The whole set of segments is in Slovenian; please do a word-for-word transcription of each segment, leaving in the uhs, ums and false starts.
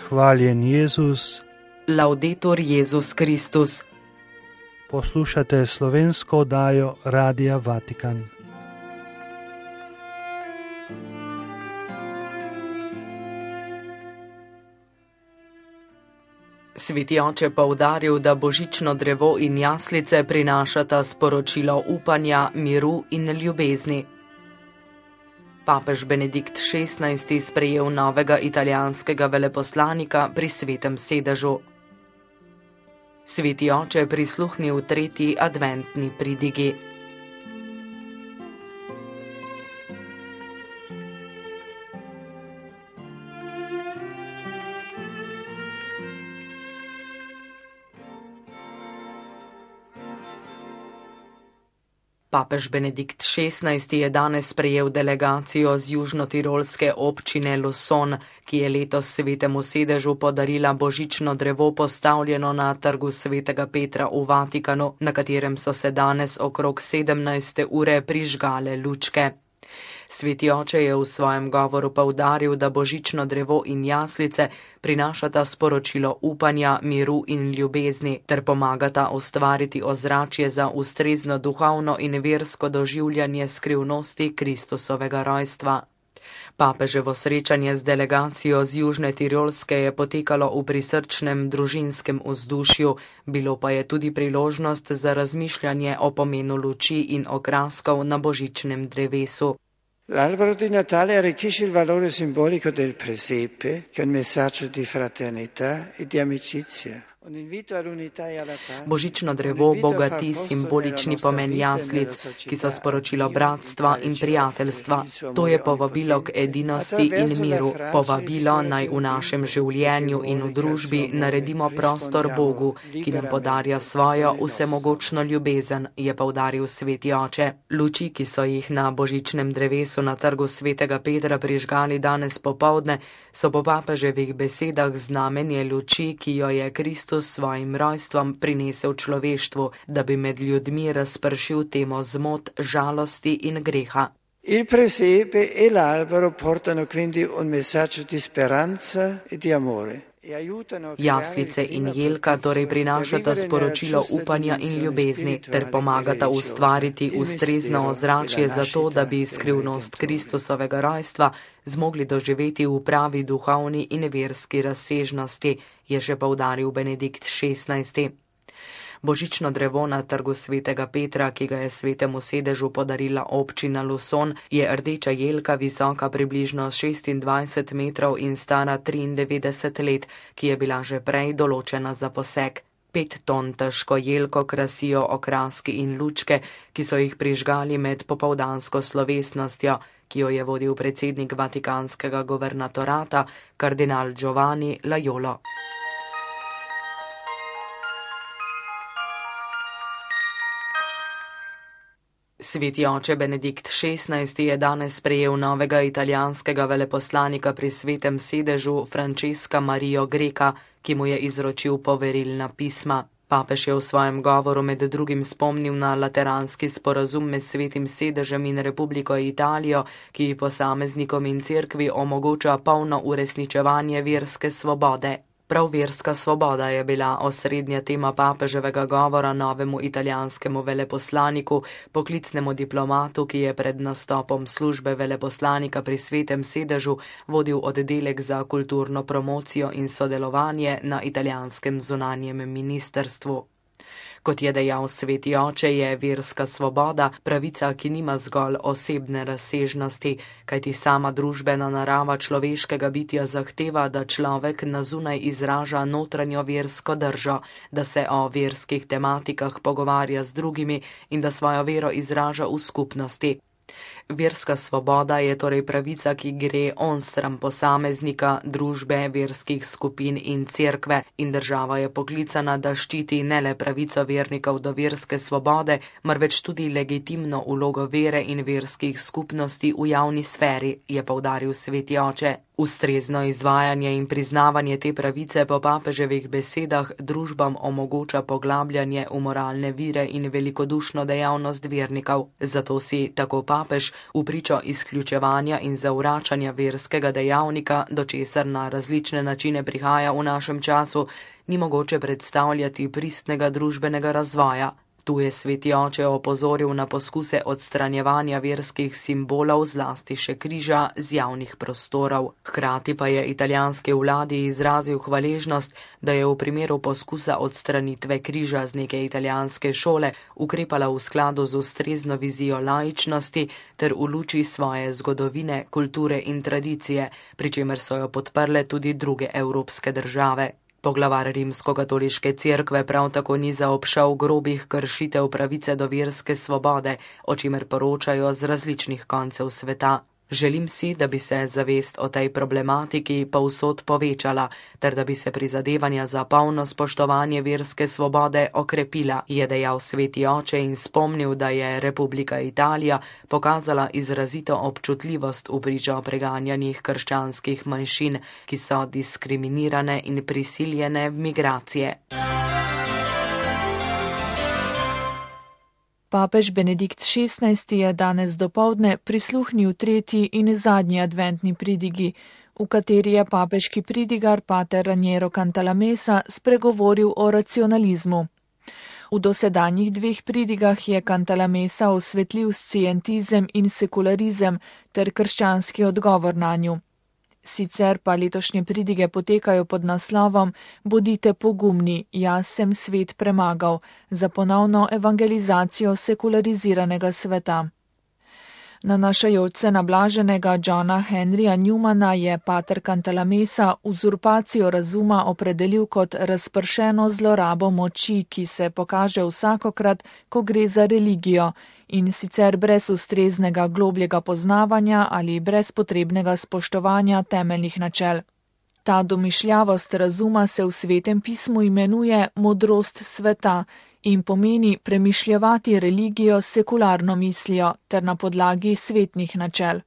Hvaljen Jezus. Laudetur Jezus Kristus. Poslušate slovensko oddajo Radia Vatikan. Sveti oče poudaril, da božično drevo in jaslice prinašata sporočilo upanja, miru in ljubezni. Papež Benedikt šestnajsti sprejel novega italijanskega veleposlanika pri Svetem sedežu. Sveti oče je prisluhnil tretji adventni pridigi. Papež Benedikt šestnajsti je danes sprejel delegacijo z južnotirolske občine Luson, ki je letos Svetemu sedežu podarila božično drevo postavljeno na trgu Svetega Petra v Vatikanu, na katerem so se danes okrog sedemnajste ure prižgale lučke. Sveti oče je v svojem govoru poudaril, da božično drevo in jaslice prinašata sporočilo upanja, miru in ljubezni ter pomagata ustvariti ozračje za ustrezno duhovno in versko doživljanje skrivnosti Kristusovega rojstva. Papeževo srečanje z delegacijo z Južne Tirolske je potekalo v prisrčnem družinskem vzdušju, bilo pa je tudi priložnost za razmišljanje o pomenu luči in okraskov na božičnem drevesu. L'albero di Natale arricchisce il valore simbolico del presepe, che è un messaggio di fraternità e di amicizia. Božično drevo bogati simbolični pomen jaslic, ki so sporočilo bratstva in prijateljstva. To je povabilo k edinosti in miru, povabilo naj v našem življenju in v družbi naredimo prostor Bogu, ki nam podarja svojo vsemogočno ljubezen, je poudaril sveti oče. Luči, ki so jih na božičnem drevesu na trgu Svetega Petra prižgali danes popoldne, so po papeževih besedah znamenje luči, ki jo je Kristus s svojim rojstvom prinesel človeštvu, da bi med ljudmi razpršil temo zmot, žalosti in greha. Il presepe e l'albero portano quindi un messaggio di speranza e di amore. Jaslice in jelka torej prinašata sporočilo upanja in ljubezni ter pomagata ustvariti ustrezno ozračje za to, da bi skrivnost Kristusovega rojstva zmogli doživeti v pravi duhovni in verski razsežnosti, je še poudaril Benedikt šestnajsti. Božično drevo na trgu Svetega Petra, ki ga je Svetemu sedežu podarila občina Luson, je rdeča jelka visoka približno šestindvajset metrov in stara triindevetdeset let, ki je bila že prej določena za posek. Pet ton težko jelko krasijo okraski in lučke, ki so jih prižgali med popoldansko slovesnostjo, ki jo je vodil predsednik vatikanskega guvernatorata, kardinal Giovanni Laiolo. Sveti oče Benedikt šestnajsti je danes sprejel novega italijanskega veleposlanika pri Svetem sedežu Francesca Mario Greca, ki mu je izročil poverilna pisma. Papež je v svojem govoru med drugim spomnil na lateranski sporazum med Svetim sedežem in Republiko Italijo, ki posameznikom in cerkvi omogoča polno uresničevanje verske svobode. Prav verska svoboda je bila osrednja tema papeževega govora novemu italijanskemu veleposlaniku, poklicnemu diplomatu, ki je pred nastopom službe veleposlanika pri Svetem sedežu vodil oddelek za kulturno promocijo in sodelovanje na italijanskem zunanjem ministrstvu. Kot je dejal sveti oče, je verska svoboda pravica, ki nima zgolj osebne razsežnosti, kajti sama družbena narava človeškega bitja zahteva, da človek na zunaj izraža notranjo versko držo, da se o verskih tematikah pogovarja z drugimi in da svojo vero izraža v skupnosti. Verska svoboda je torej pravica, ki gre onstran posameznika, družbe, verskih skupin in cerkve, in država je poklicana, da ščiti ne le pravico vernikov do verske svobode, marveč tudi legitimno vlogo vere in verskih skupnosti v javni sferi, je poudaril sveti oče. Ustrezno izvajanje in priznavanje te pravice po papeževih besedah družbam omogoča poglabljanje v moralne vire in velikodušno dejavnost vernikov. Zato si, tako papež, v pričo izključevanja in zavračanja verskega dejavnika, do česar na različne načine prihaja v našem času, ni mogoče predstavljati pristnega družbenega razvoja. Tu je sveti oče opozoril na poskuse odstranjevanja verskih simbolov, zlasti še križa, z javnih prostorov. Hkrati pa je italijanski vladi izrazil hvaležnost, da je v primeru poskusa odstranitve križa z neke italijanske šole ukrepala v skladu z ustrezno vizijo laičnosti ter v luči svoje zgodovine, kulture in tradicije, pri čemer so jo podprle tudi druge evropske države. Poglavar Rimskokatoliške cerkve prav tako ni zaobšel grobih kršitev pravice do verske svobode, o čimer poročajo z različnih koncev sveta. Želim si, da bi se zavest o tej problematiki povsod povečala, ter da bi se prizadevanja za polno spoštovanje verske svobode okrepila, je dejal sveti oče in spomnil, da je Republika Italija pokazala izrazito občutljivost v pričo preganjanih krščanskih manjšin, ki so diskriminirane in prisiljene v migracije. Papež Benedikt šestnajsti je danes dopoldne prisluhnil tretji in zadnji adventni pridigi, v kateri je papeški pridigar pater Raniero Cantalamessa spregovoril o racionalizmu. V dosedanjih dveh pridigah je Cantalamessa osvetlil scientizem in sekularizem ter krščanski odgovor nanju. Sicer pa letošnje pridige potekajo pod naslovom Bodite pogumni, jaz sem svet premagal, za ponovno evangelizacijo sekulariziranega sveta. Nanašajoč se na blaženega Johna Henryja Newmana je pater Cantalamessa uzurpacijo razuma opredelil kot razpršeno zlorabo moči, ki se pokaže vsakokrat, ko gre za religijo, in sicer brez ustreznega globljega poznavanja ali brez potrebnega spoštovanja temeljnih načel. Ta domišljavost razuma se v Svetem pismu imenuje modrost sveta in pomeni premišljevati religijo s sekularno mislijo ter na podlagi svetnih načel.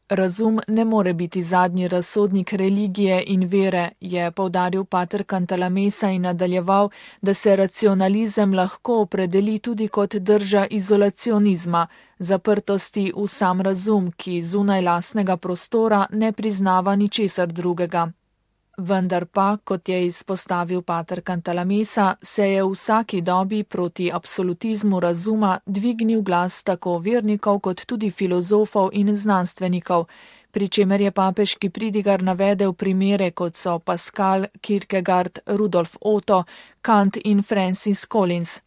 Razum ne more biti zadnji razsodnik religije in vere, je poudaril pater Cantalamessa in nadaljeval, da se racionalizem lahko opredeli tudi kot drža izolacionizma, zaprtosti v sam razum, ki zunaj lastnega prostora ne priznava ničesar drugega. Vendar pa, kot je izpostavil pater Cantalamessa, se je v vsaki dobi proti absolutizmu razuma dvignil glas tako vernikov kot tudi filozofov in znanstvenikov, pri čemer je papeški pridigar navedel primere, kot so Pascal, Kierkegaard, Rudolf Otto, Kant in Francis Collins.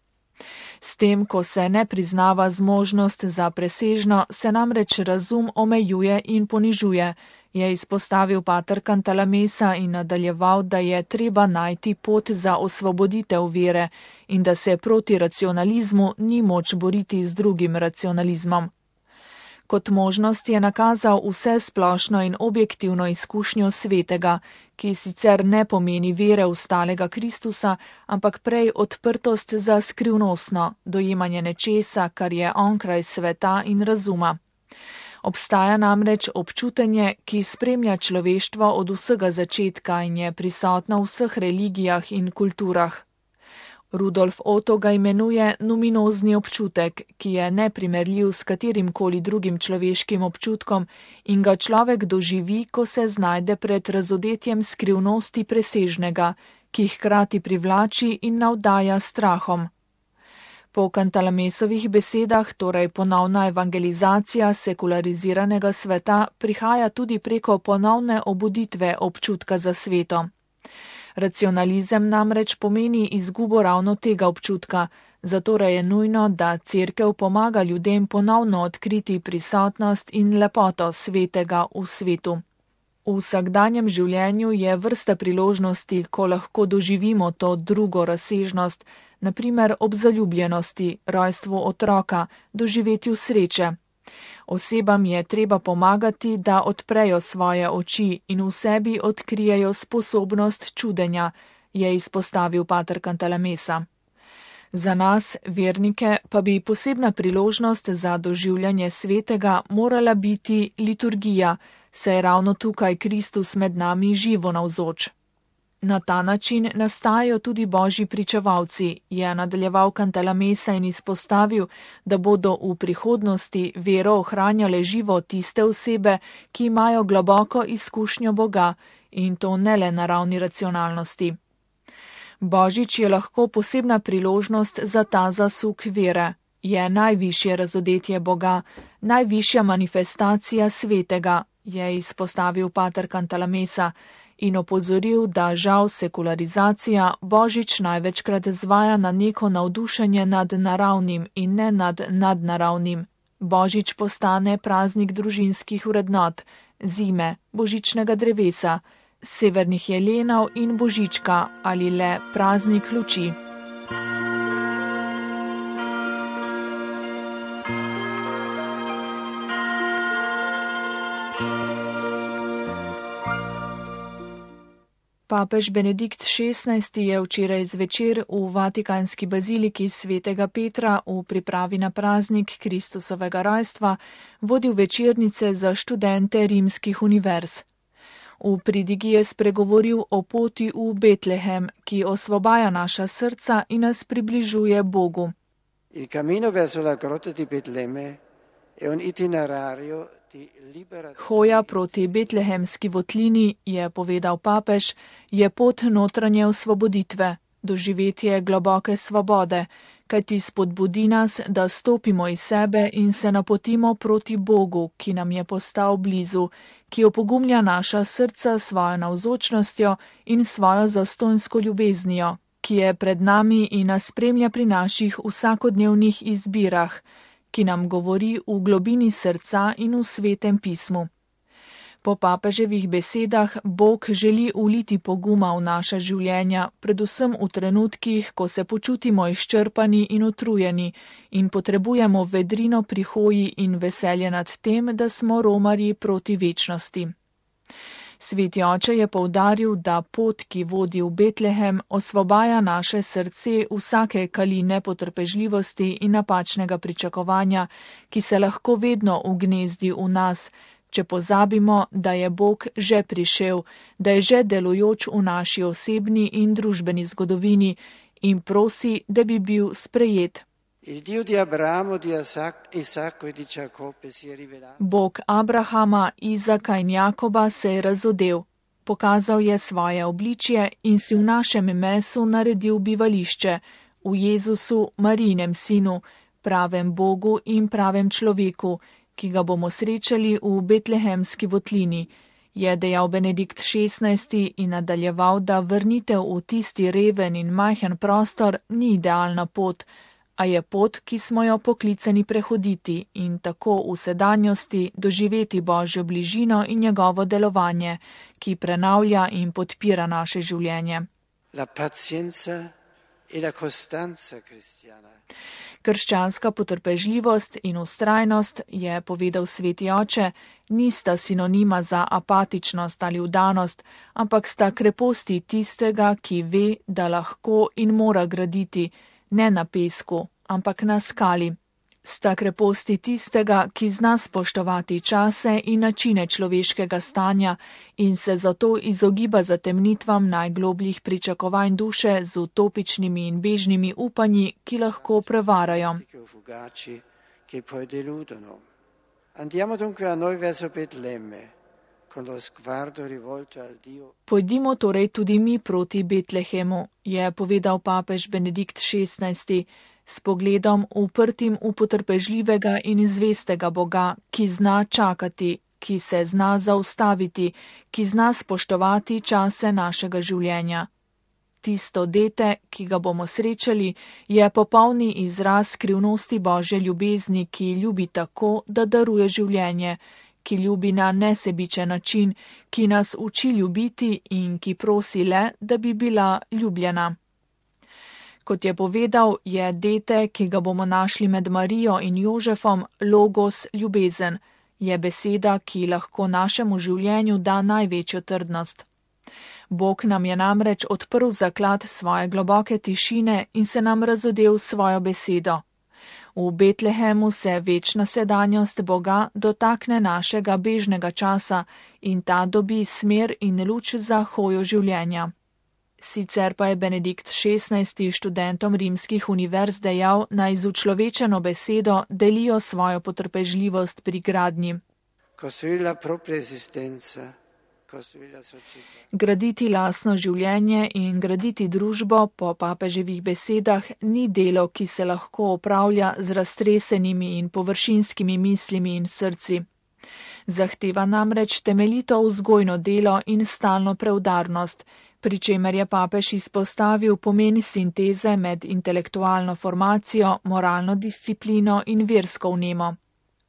S tem, ko se ne priznava zmožnost za presežno, se namreč razum omejuje in ponižuje, je izpostavil pater Cantalamessa in nadaljeval, da je treba najti pot za osvoboditev vere in da se proti racionalizmu ni moč boriti z drugim racionalizmom. Kot možnost je nakazal vse splošno in objektivno izkušnjo svetega, ki sicer ne pomeni vere v stalega Kristusa, ampak prej odprtost za skrivnostno, dojemanje nečesa, kar je onkraj sveta in razuma. Obstaja namreč občutenje, ki spremlja človeštvo od vsega začetka in je prisotno v vseh religijah in kulturah. Rudolf Otto ga imenuje numinozni občutek, ki je neprimerljiv s katerimkoli drugim človeškim občutkom in ga človek doživi, ko se znajde pred razodetjem skrivnosti presežnega, ki hkrati privlači in navdaja strahom. Po Cantalamessovih besedah, torej ponovna evangelizacija sekulariziranega sveta, prihaja tudi preko ponovne obuditve občutka za sveto. Racionalizem namreč pomeni izgubo ravno tega občutka, zato je nujno, da cerkev pomaga ljudem ponovno odkriti prisotnost in lepoto svetega v svetu. V vsakdanjem življenju je vrsta priložnosti, ko lahko doživimo to drugo razsežnost, na primer ob zaljubljenosti, rojstvu otroka, doživetju sreče. Osebam je treba pomagati, da odprejo svoje oči in v sebi odkrijejo sposobnost čudenja, je izpostavil pater Cantalamessa. Za nas, vernike, pa bi posebna priložnost za doživljanje svetega morala biti liturgija, saj je ravno tukaj Kristus med nami živo navzoč. Na ta način nastajajo tudi božji pričevalci, je nadaljeval Cantalamessa in izpostavil, da bodo v prihodnosti vero ohranjale živo tiste osebe, ki imajo globoko izkušnjo Boga in to ne le na ravni racionalnosti. Božič je lahko posebna priložnost za ta zasuk vere. Je najvišje razodetje Boga, najvišja manifestacija svetega, je izpostavil pater Cantalamessa in opozoril, da žal sekularizacija Božič največkrat zvaja na neko navdušenje nad naravnim in ne nad nadnaravnim. Božič postane praznik družinskih vrednot, zime, božičnega drevesa, severnih jelenov in božička ali le praznik luči. Papež Benedikt šestnajsti je včeraj zvečer v Vatikanski baziliki svetega Petra v pripravi na praznik Kristusovega rojstva vodil večernice za študente rimskih univerz. V pridigi je spregovoril o poti v Betlehem, ki osvobaja naša srca in nas približuje Bogu. Il cammino verso la grotta di Betlemme è un itinerario. Hoja proti betlehemski votlini, je povedal papež, je pot notranje osvoboditve, doživetje globoke svobode, kajti spodbudi nas, da stopimo iz sebe in se napotimo proti Bogu, ki nam je postal blizu, ki opogumlja naša srca svojo navzočnostjo in svojo zastonjsko ljubeznijo, ki je pred nami in nas spremlja pri naših vsakodnevnih izbirah, ki nam govori v globini srca in v svetem pismu. Po papeževih besedah Bog želi uliti poguma v naša življenja, predvsem v trenutkih, ko se počutimo izčrpani in utrujeni in potrebujemo vedrino pri hoji in veselje nad tem, da smo romarji proti večnosti. Sveti oče je poudaril, da pot, ki vodi v Betlehem, osvobaja naše srce vsake kaline potrpežljivosti in napačnega pričakovanja, ki se lahko vedno ugnezdi v nas, če pozabimo, da je Bog že prišel, da je že delujoč v naši osebni in družbeni zgodovini in prosi, da bi bil sprejet. Bog Abrahama, Izaka in Jakoba se je razodel, pokazal je svoje obličje in si v našem mesu naredil bivališče, v Jezusu, Marijinem sinu, pravem Bogu in pravem človeku, ki ga bomo srečali v betlehemski votlini, je dejal Benedikt šestnajsti in nadaljeval, da vrnitev v tisti reven in majhen prostor ni idealna pot, a je pot, ki smo jo poklicani prehoditi in tako v sedanjosti doživeti Božjo bližino in njegovo delovanje, ki prenavlja in podpira naše življenje. La pazienza e la costanza cristiana. Krščanska potrpežljivost in ustrajnost, je povedal sveti oče, nista sinonima za apatičnost ali vdanost, ampak sta kreposti tistega, ki ve, da lahko in mora graditi, ne na pesku, ampak na skali. Sta kreposti tistega, ki zna spoštovati čase in načine človeškega stanja in se zato izogiba zatemnitvam najglobljih pričakovanj duše z utopičnimi in bežnimi upanji, ki lahko prevarajo. Pojdimo torej tudi mi proti Betlehemu, je povedal papež Benedikt šestnajsti, s pogledom uprtim v potrpežljivega in zvestega Boga, ki zna čakati, ki se zna zaustaviti, ki zna spoštovati čase našega življenja. Tisto dete, ki ga bomo srečali, je popolni izraz skrivnosti Božje ljubezni, ki ljubi tako, da daruje življenje, ki ljubi na nesebičen način, ki nas uči ljubiti in ki prosi le, da bi bila ljubljena. Kot je povedal, je dete, ki ga bomo našli med Marijo in Jožefom, logos ljubezen, je beseda, ki lahko našemu življenju da največjo trdnost. Bog nam je namreč odprl zaklad svoje globoke tišine in se nam razodel svojo besedo. V Betlehemu se večna sedanjost Boga dotakne našega bežnega časa in ta dobi smer in luč za hojo življenja. Sicer pa je Benedikt šestnajsti študentom rimskih univerz dejal, naj z učlovečeno besedo delijo svojo potrpežljivost pri gradnji. Graditi lastno življenje in graditi družbo po papeževih besedah ni delo, ki se lahko opravlja z raztresenimi in površinskimi mislimi in srci. Zahteva namreč temeljito vzgojno delo in stalno preudarnost, pri čemer je papež izpostavil pomen sinteze med intelektualno formacijo, moralno disciplino in versko vnemo.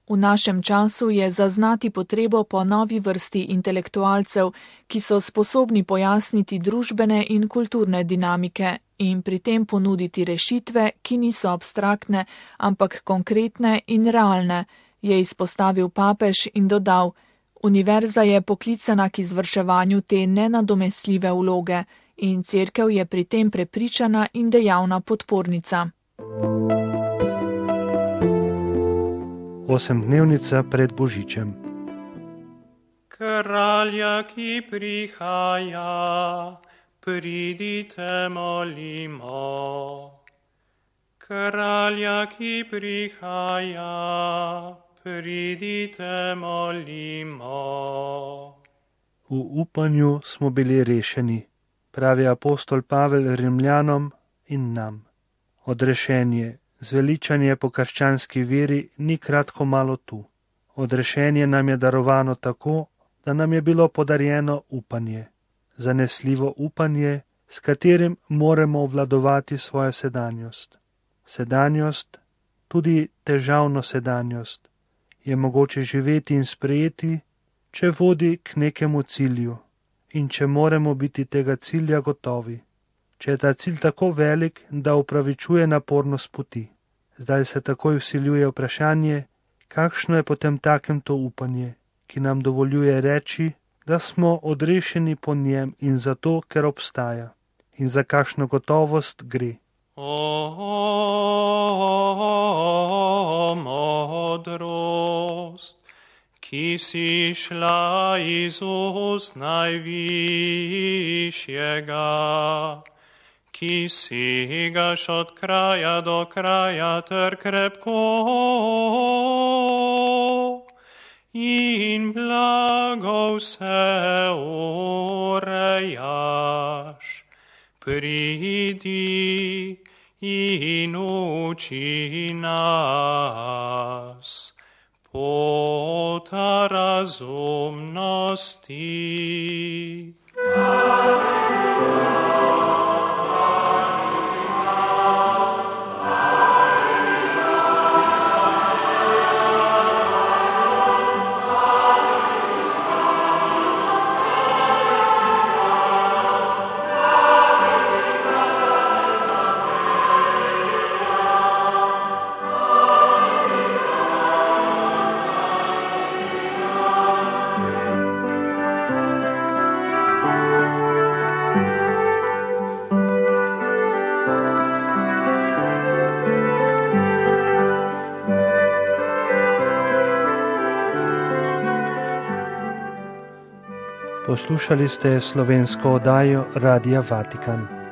V našem času je zaznati potrebo po novi vrsti intelektualcev, ki so sposobni pojasniti družbene in kulturne dinamike in pri tem ponuditi rešitve, ki niso abstraktne, ampak konkretne in realne, je izpostavil papež in dodal: Univerza je poklicana k izvrševanju te nenadomestljive vloge in cerkev je pri tem prepričana in dejavna podpornica. Osemdnevnica pred Božičem. Kralja, ki prihaja, pridite molimo. Kralja, ki prihaja, pridite molimo. V upanju smo bili rešeni, pravi apostol Pavel Rimljanom in nam. Odrešenje, zveličanje po krščanski veri ni kratko malo tu. Odrešenje nam je darovano tako, da nam je bilo podarjeno upanje. Zanesljivo upanje, s katerim moremo obvladovati svojo sedanjost. Sedanjost, tudi težavno sedanjost, je mogoče živeti in sprejeti, če vodi k nekemu cilju in če moramo biti tega cilja gotovi. Če je ta cilj tako velik, da upravičuje napornost poti. Zdaj se takoj vsiljuje vprašanje, kakšno je potem takem to upanje, ki nam dovoljuje reči, da smo odrešeni po njem in zato, ker obstaja. In za kakšno gotovost gre. O, modrost, ki si šla iz ust najvišjega, ki segaš od kraja do kraja ter krepko in blago vse urejaš. Pridi in uči nas pota razumnosti. Poslušali ste slovensko oddajo Radia Vatikan.